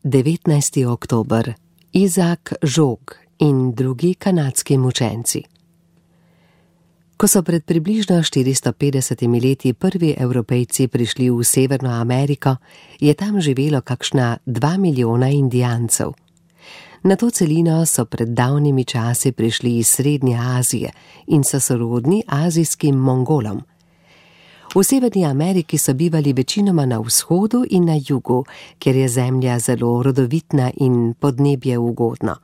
19. oktober. Isaac Jogues in drugi kanadski mučenci. Ko so pred približno 450 leti prvi Evropejci prišli v Severno Ameriko, je tam živelo kakšna 2 milijona Indijancev. Na to celino so pred davnimi časi prišli iz Srednje Azije in so sorodni azijskim Mongolom. V Severni Ameriki so bivali večinoma na vzhodu in na jugu, kjer je zemlja zelo rodovitna in podnebje ugodno.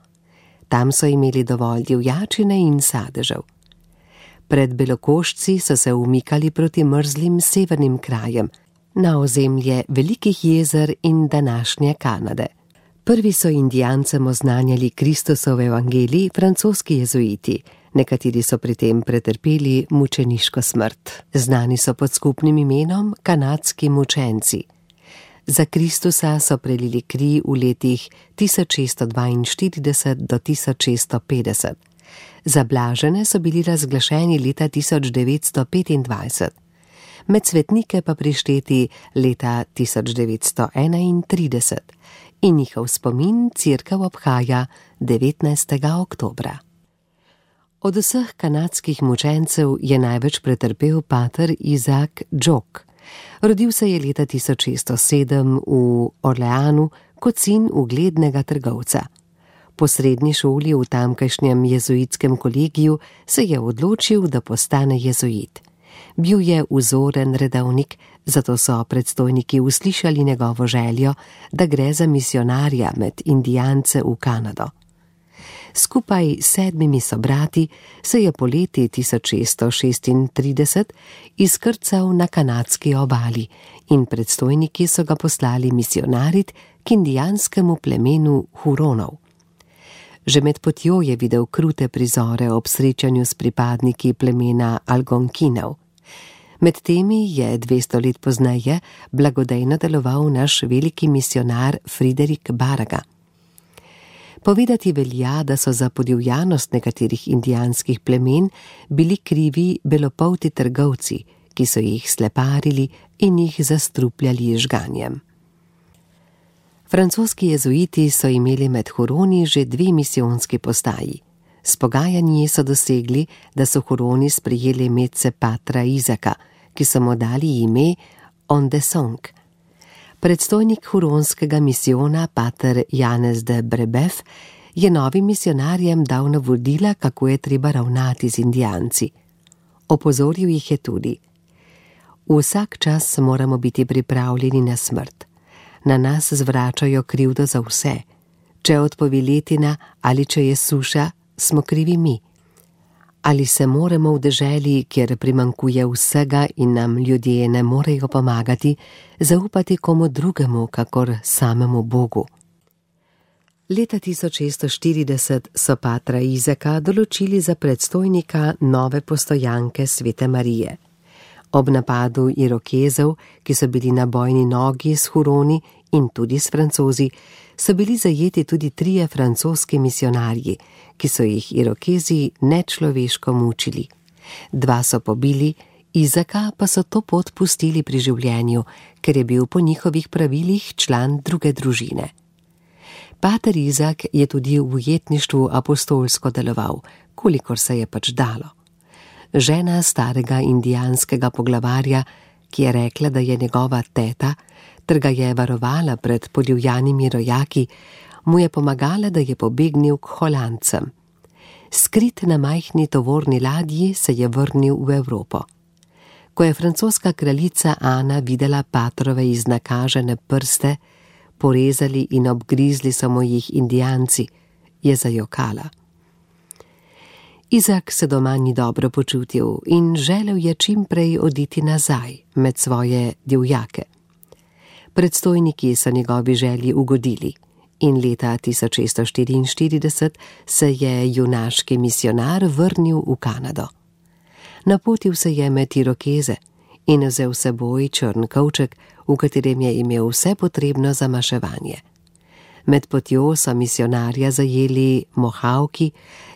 Tam so imeli dovolj divjačine in sadežev. Pred belokoščci so se umikali proti mrzlim severnim krajem, na ozemlje velikih jezer in današnje Kanade. Prvi so Indijancem oznanjali Kristusov evangelij francoski jezuiti, nekateri so pri tem pretrpeli mučeniško smrt. Znani so pod skupnim imenom kanadski mučenci. Za Kristusa so prelili kri v letih 1642 do 1650. Za blažene so bili razglašeni leta 1925, med svetnike pa prišteti leta 1931 in njihov spomin cerkev obhaja 19. oktobra. Od vseh kanadskih mučencev je največ pretrpel pater Isaac Jogues. Rodil se je leta 1607 v Orleanu kot sin uglednega trgovca. Po srednji šoli v tamkajšnjem jezuitskem kolegiju se je odločil, da postane jezuit. Bil je vzoren redovnik, zato so predstojniki uslišali njegovo željo, da gre za misionarja med Indijance v Kanado. Skupaj s 7 sobrati se je poleti 1636 izkrcal na kanadski obali in predstojniki so ga poslali misionarit k indijanskemu plemenu Huronov. Že med potjo je videl krute prizore ob srečanju s pripadniki plemena Algonkinov. Med temi je 200 let pozneje blagodejno deloval naš veliki misionar Friderik Baraga. Povedati velja, da so za podivjanost nekaterih indijanskih plemen bili krivi belopolti trgovci, ki so jih sleparili in jih zastrupljali žganjem. Francoski jezuiti so imeli med Huroni že 2 misijonski postaji. S pogajanji so dosegli, da so Huroni sprejeli medse patra Isaaca, ki so mu dali ime Ondesong. Predstojnik huronskega misijona, pater Janez de Brebeuf, je novim misionarjem dal navodila, kako je treba ravnati z Indijanci. Opozoril jih je tudi: vsak čas moramo biti pripravljeni na smrt. Na nas zvračajo krivdo za vse. Če odpovi letina ali če je suša, smo krivi mi. Ali se moramo v deželi, kjer primanjkuje vsega in nam ljudje ne morejo pomagati, zaupati komu drugemu, kakor samemu Bogu? Leta 1640 so patra Isaaca določili za predstojnika nove postojanke Svete Marije. Ob napadu Irokezov, ki so bili na bojni nogi s Huroni in tudi s Francozi, so bili zajeti tudi 3 francoski misionarji, ki so jih Irokezi nečloveško mučili. 2 so pobili, Isaaca pa so to pot pustili pri življenju, ker je bil po njihovih pravilih član druge družine. Pater Isaac je tudi v ujetništvu apostolsko deloval, kolikor se je pač dalo. Žena starega indijanskega poglavarja, ki je rekla, da je njegova teta, ter ga je varovala pred podivjanimi rojaki, mu je pomagala, da je pobegnil k Holandcem. Skrit na majhni tovorni ladji se je vrnil v Evropo. Ko je francoska kraljica Ana videla patrove iznakažene prste, porezali in obgrizli so mu jih Indijanci, je zajokala. Isaac se doma ni dobro počutil in želel je čim prej oditi nazaj med svoje divjake. Predstojniki so njegovi želji ugodili in leta 1644 se je junaški misionar vrnil v Kanado. Napotil se je med Irokeze in vzel s seboj črn kovček, v katerem je imel vse potrebno za maševanje. Med potjo so misionarja zajeli Mohawki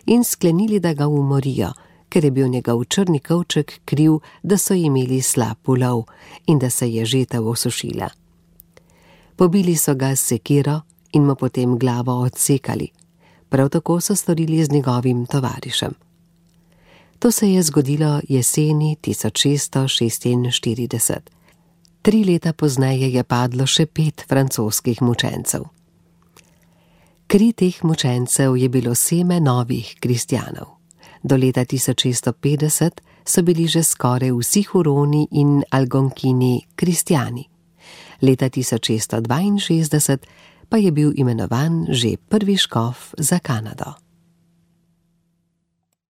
in sklenili, da ga umorijo, ker je bil njegov črni kovček kriv, da so imeli slab ulov in da se je žetev osušila. Pobili so ga s sekiro in mu potem glavo odsekali. Prav tako so storili z njegovim tovarišem. To se je zgodilo jeseni 1646. 3 leta pozneje je padlo še 5 francoskih mučencev. Kri teh mučencev je bilo seme novih kristjanov. Do leta 1650 so bili že skoraj vsi Huroni in Algonkini kristjani. Leta 1662 pa je bil imenovan že prvi škof za Kanado.